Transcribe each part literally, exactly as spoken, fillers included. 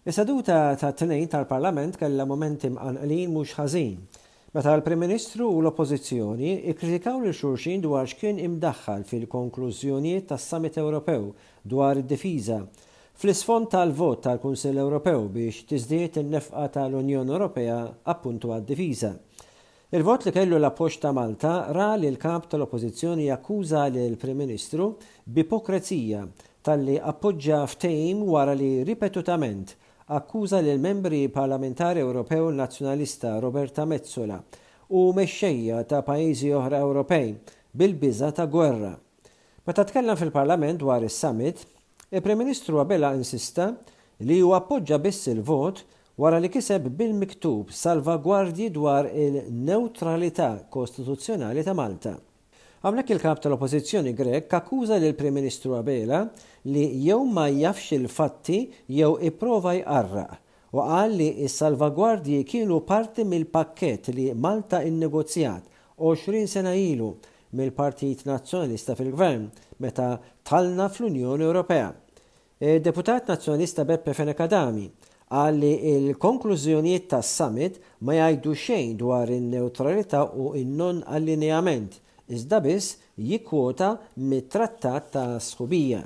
Is-seduta tat-Tnejn tal-Parlament kellha mumenti mqanqlin mhux ħażin, meta l-Prim Ministru u l-Oppożizzjoni kkritikaw lil xulxin dwar x'kien imdaħħal fil-konklużjonijiet tas-Summit Ewropew dwar id-difiża, fl-isfond tal-vot tal-Kunsill Ewropew biex tiżdied in-nefqa tal-Unjoni Ewropea appuntu għad-difiża. Il-vot li kellu l-appoġġ ta' Malta ra lill-Kap tal-Oppożizzjoni jakkuża lill-Prim Ministru b'ipokrezija talli appoġġa ftehim wara li ripetutament akkuża lill-Membri Parlamentari Ewropew Nazzjonalista Roberta Metsola u mexxejja ta' pajjiżi oħra Ewropej bil-biża' ta' gwerra. Meta tkellem fil-Parlament dwar is-summit, il-Prim Ministru Abela insista li hu appoġġa biss il-vot wara li kiseb bil-miktub salvagwardji dwar il-newtralità kostituzzjonali ta' Malta. Hawnhekk il-Kap tal-Oppożizzjoni Grech akkuża lill-Prim Ministru Abela li jew ma jafx il-fatti jew ipprova jqarraq u qal li s-salvagwardji kienu parti mill-pakkett li Malta innegozjat għoxrin sena ilu mill-Partit Nazzjonalista fil-Gvern meta dħalna fl-Unjoni Ewropea. Id-Deputat Nazzjonalista Beppe Fenech Adami qal li l-konklużjonijiet tas-summit ma jgħidu xejn dwar in-newtralità u n-non-allineament, iżda biss jikkwota mit-Trattat ta' Sħubija.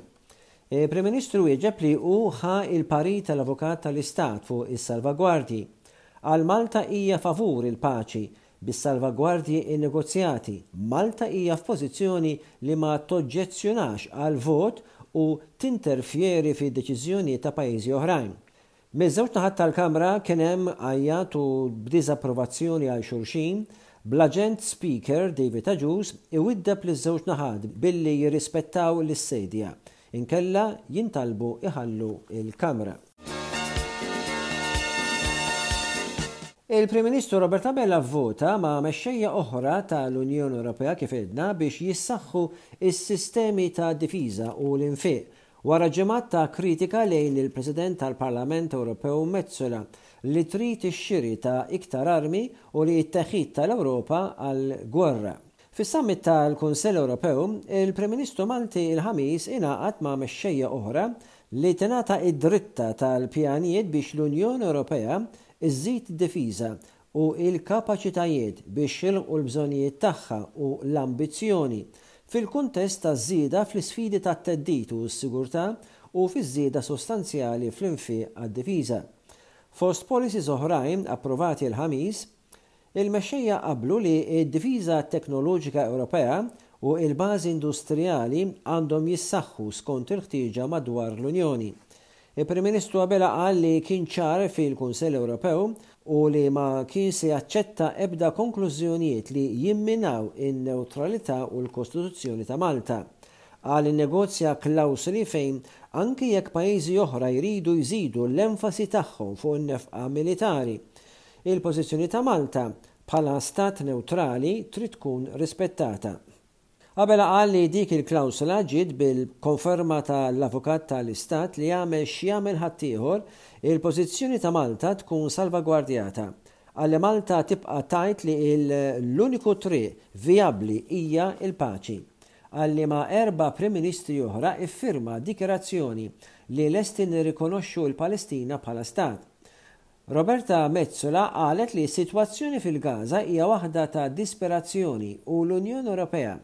Il-Prim Ministru wieġeb li hu ħa l-parir tal-Avukat tal-Istat fuq is-salvagwardji. Qal Malta hija favur il-paċi bis-salvagwardji innegozjati. Malta hija f'pożizzjoni li ma toġġezzjonax għal vot u tinterfjeri fi deċiżjonijiet ta' pajjiżi oħrajn. Miż-żewġ naħat tal-Kamra kien hemm għajjat u b'diżapprovazzjoni għal xulxin, bl-Aġent Speaker David Agius iwiddeb liż-żewġ naħat billi jirrispettaw lis-sedja, inkella jintalbu iħallu l-Kamra. Il-Prim Ministru Robert Abela vvota ma' mexxejja oħra tal-Unjoni Ewropea kif għedna biex jissaħħu s-sistemi ta' difiża u l-infiq wara ġimgħat ta' kritika lejn il-President tal-Parlament Ewropew Metsola li trid ix-xiri ta' iktar armi u li t-teħid tal-Ewropa għall-gwerra. Fis-summit tal-Kunsill Ewropew, il-Prim Ministru Malti il-Ħamis ingħaqad ma' mexxejja oħra li tingħata id-dritta tal-pjanijiet biex l-Unjoni Ewropea iżżid id-difiża u l-kapaċitajiet biex jilħqu l-bżonnijiet tagħha u l-ambizzjoni fil-kuntest taż-żieda fl-isfidi tat-theddid u s-sigurtà u fiż-żieda sostanzjali fl-infiq għad-difiża. Fost policies oħrajn approvati l-Ħamis, il-mexxejja qablu li d-difiża teknoloġika Ewropea u l-bażi industrijali għandhom jissaħħu skont il-ħtieġa madwar l-Unjoni. Il-Prim Ministru Abela qal li kien ċar fil-Kunsill Ewropew u li ma kien se jaċċetta ebda konklużjonijiet li jimminaw in-newtralità u l-Kostituzzjoni ta' Malta. Qal innegozja klawsoli fejn anki jekk pajjiżi oħra jridu jżidu l-enfasi tagħhom fuq in-nefqa militari, il-pożizzjoni ta' Malta bħala stat newtrali trid tkun rispettata. Abela qal li dik il-klawsola ġiet bil-konferma tal-Avukat tal-Istat li jagħmel x'jagħmel ħaddieħor, il-pożizzjoni ta' Malta tkun salvagwardjata. Qal li Malta tibqa' tgħid li l-uniku triq vijabbli hija l-paċi. Qal li ma' erba' Prim Ministri oħra iffirma dikjarazzjoni li lesti nirrikonoxxu l-Palestina bħala stat. Roberta Metsola qalet li s-sitwazzjoni fil-Gaza hija waħda ta' disperazzjoni u l-Unjoni Ewropea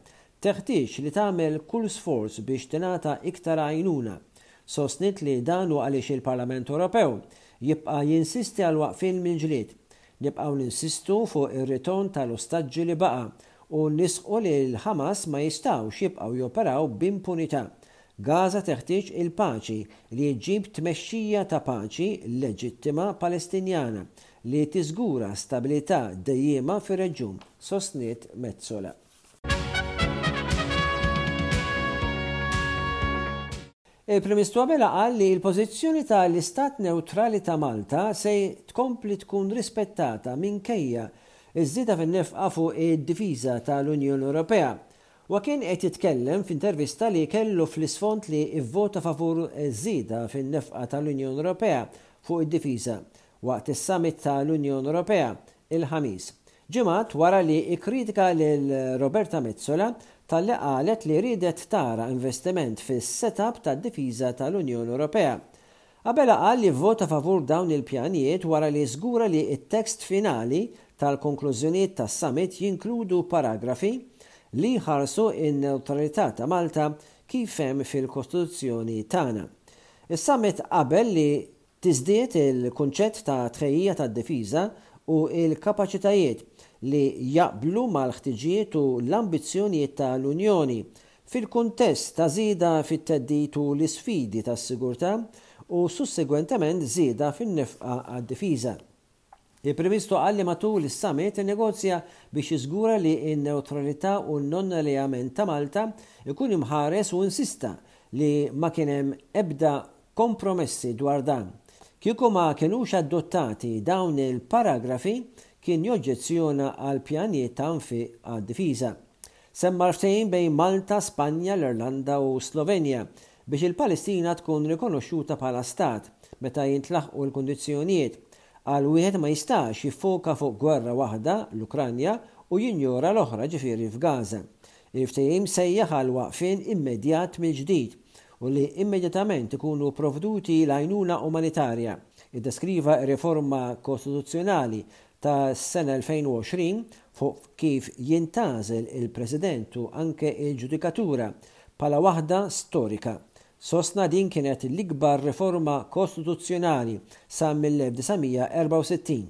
teħtieġ li tagħmel kull sforz biex tingħata iktar għajnuna. Sostniet li dan hu għaliex il-Parlament Ewropew jibqa' jinsisti għal waqfien mill-ġlied. Nibqgħu ninsistu fuq ir-ritorn tal-ostaġġi li baqa' u nisqu li l-Ħamas ma jistgħux jibqgħu joperaw b'impunità. Gaza teħtieġ il-paċi li ġġib tmexxija ta' paċi leġittima Palestinjana li tiżgura stabilità dejjiema fir-reġjun, sostniet Metsola. Il-Prim Ministru Abela qal li l-pożizzjoni tal-Istat Newtrali ta' Malta se tkompli tkun rispettata minkejja ż-żieda fin-nefqa fuq id-difiża tal-Unjoni Ewropea. Huwa kien qed jitkellem f'intervista li kellu fl-isfond li vvota favur żieda fin-nefqa tal-Unjoni Ewropea fuq id-difiża waqt is-summit tal-Unjoni Ewropea il-Ħamis, ġimgħat wara li kkritika lil Roberta Metsola talli qalet li riedet tara investiment fis-setup tad-difiża tal-Unjoni Ewropea. Abela qal li vvota favur dawn il-pjanijiet wara li żgura li t-tekst finali tal-konklużjonijiet tas-summit jinkludu paragrafi li jħarsu n-newtralità ta' Malta kif hemm fil-Kostituzzjoni tagħna. Is-summit qabel li tiżdied il-kunċett ta' tħejjija tad-difiża u l-kapaċitajiet li jaqblu mal-ħtiġijiet u l-ambizzjonijiet tal-Unjoni fil-kuntest ta' żieda fit-theddid u l-isfidi tas-sigurtà u sussegwentement żieda fin-nefqa għad-difiża. Il-Prim Ministru qal li matul is-summit innegozja biex jiżgura li n-newtralità u n-non-alleament ta' Malta ikun imħares u insista li ma kien hemm ebda kompromessi dwar dan. Kieku ma kinux adottati dawn il-paragrafi kien joġġezzjona għal pjanijiet ta' nfiq għad-difiża. Semma l-ftehim bejn Malta, Spanja, l-Irlanda u Slovenja biex il-Palestina tkun rikonoxxuta bħala stat meta jintlaħqu l-kundizzjonijiet. Qal wieħed ma jistax jiffoka fuq gwerra waħda, l-Ukranja, u jinjora l-oħra, ġifieri f'Gaza. Il-ftehim sejjaħ għal waqfien immedjat mill-ġdid u li immedjatament ikunu provduti l-għajnuna umanitarja. Iddeskriva r-riforma kostituzzjonali tas-sena elfejn u għoxrin fuq kif jintgħażel il-President u anke il-ġudikatura bħala waħda storika. Sostna din kienet l-ikbar riforma kostituzzjonali sa mill-elf disa' mija erbgħa u sittin.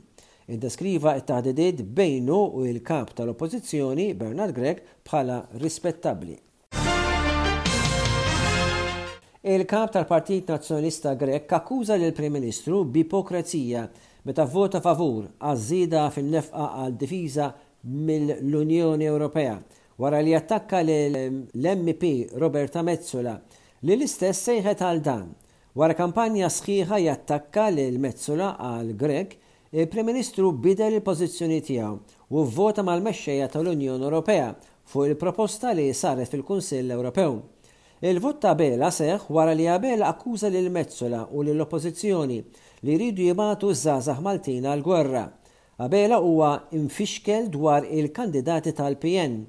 Iddeskriva t-taħdidiet bejnu u l-kap tal-Oppożizzjoni Bernard Grech bħala rispettabbli. Il-kap tal-Partit Nazzjonalista Grech akkuża lill-Prim Ministru b'ipokrezija meta vvota favur għaż-żieda fin-nefqa għal difiża mill-Unjoni Ewropea wara li attakka lill-M P Roberta Metsola li l-istess sejħet għal dan. Wara kampanja sħiħa jattakka lil Metsola għal Grech, il-Prim Ministru bidel il-pożizzjoni tiegħu u vvota mal-mexxejja tal-Unjoni Ewropea fuq il-proposta li saret fil-Kunsill Ewropew. Il-vot ta' Abela seħħ wara li Abela akkuża lil Metsola u lill-Oppożizzjoni li jridu jibagħtu ż-żgħażagħ Maltin għall-gwerra. Abela huwa infixkel dwar il-kandidati tal-P N.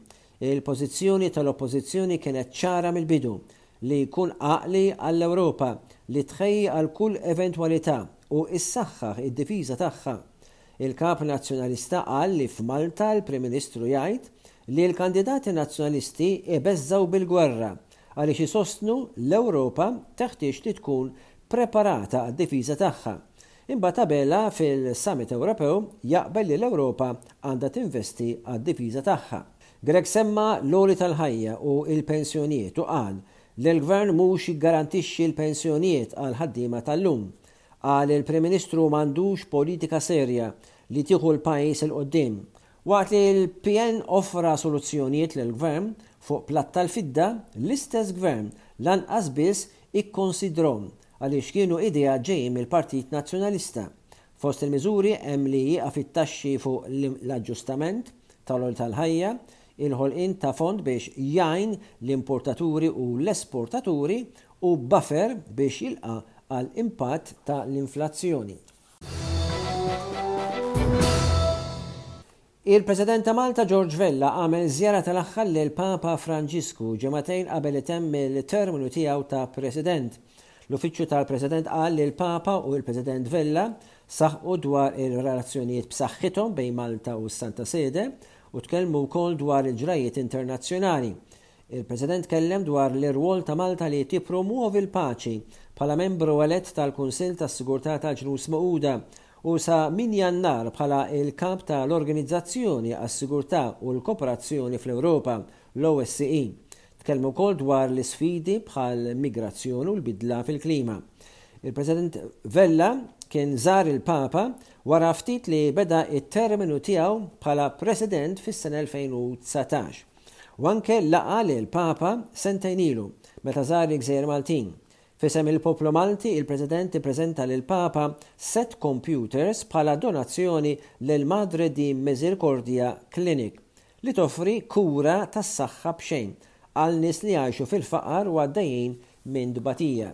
Il-pożizzjoni tal-Oppożizzjoni kienet ċara mill-bidu li jkun għaqli għall-Ewropa li tħejji għal kull eventwalità u issaħħaħ id-difiża tagħha. Il-kap nazzjonalista qal li f'Malta l-Prim Ministru jgħid li l-kandidati nazzjonalisti ibeżżgħu bil-gwerra għaliex isostnu l-Ewropa teħtieġ li tkun preparata għad-difiża tagħha. Imbagħad Abela fil-Summit Ewropew jaqbel li l-Ewropa għandha tinvesti għad-difiża tagħha. Grech semma l-għoli tal-ħajja u l-pensjonijiet u qal li l-Gvern mhux jiggarantixxi l-pensjonijiet għal ħaddiema tal-lum. Qal il-Prim Ministru m'għandux politika serja li tieħu l-pajjiż il quddiem. Waqt li l-P N offra soluzzjonijiet lill-Gvern fuq platt tal-fidda, l-istess Gvern lanqas biss ikkonsidrhom għaliex kienu idea ġejjin mill-Partit Nazzjonalista. Fost il-miżuri hemm li jieqaf it-taxxi fuq l-aġġustament tal-għoli tal-ħajja, il-ħolqien ta' fond biex jgħin l-importaturi u l-esportaturi u buffer biex jilqa' għal impatt ta' l-inflazzjoni. Il-President ta' Malta George Vella għamel żjara tal-aħħar lil Papa Franġisku ġimagħtejn qabel itemm il-terminu tiegħu ta' President. L-Uffiċċju tal-President qal li l-Papa u l-President Vella saħqu dwar il-relazzjonijiet b'saħħithom bejn Malta u s-Santa Sede u tkellmu wkoll dwar il-ġrajiet internazzjonali. Il-President kellem dwar l-irwol ta' Malta li tippromuovi l-paċi bħala membru elett tal-Kunsill tas-Sigurtà tal-Ġnus Magħquda u sa min Jannar bħala il-kap tal-Organizzazzjoni għas-Sigurtà u l-Kooperazzjoni fl-Ewropa, l-O S C E. Tkellmu wkoll dwar l-isfidi bħal migrazzjoni u l-bidla fil-klima. Il-President Vella kien żar il-Papa wara ftit li beda it-terminu tiegħu bħala President fis-sena elfejn u dsatax. U anke laqa lil Papa sentejn ilu meta żar il-Gżejjer Maltin. F'isem il-poplu Malti, il-President ippreżenta lil Papa set computers bħala donazzjoni lil Madre di Misericordia Clinic li toffri kura tas-saħħa b'xejn għal nies li jgħixu fil-faqar u għaddejjin minn dbatija.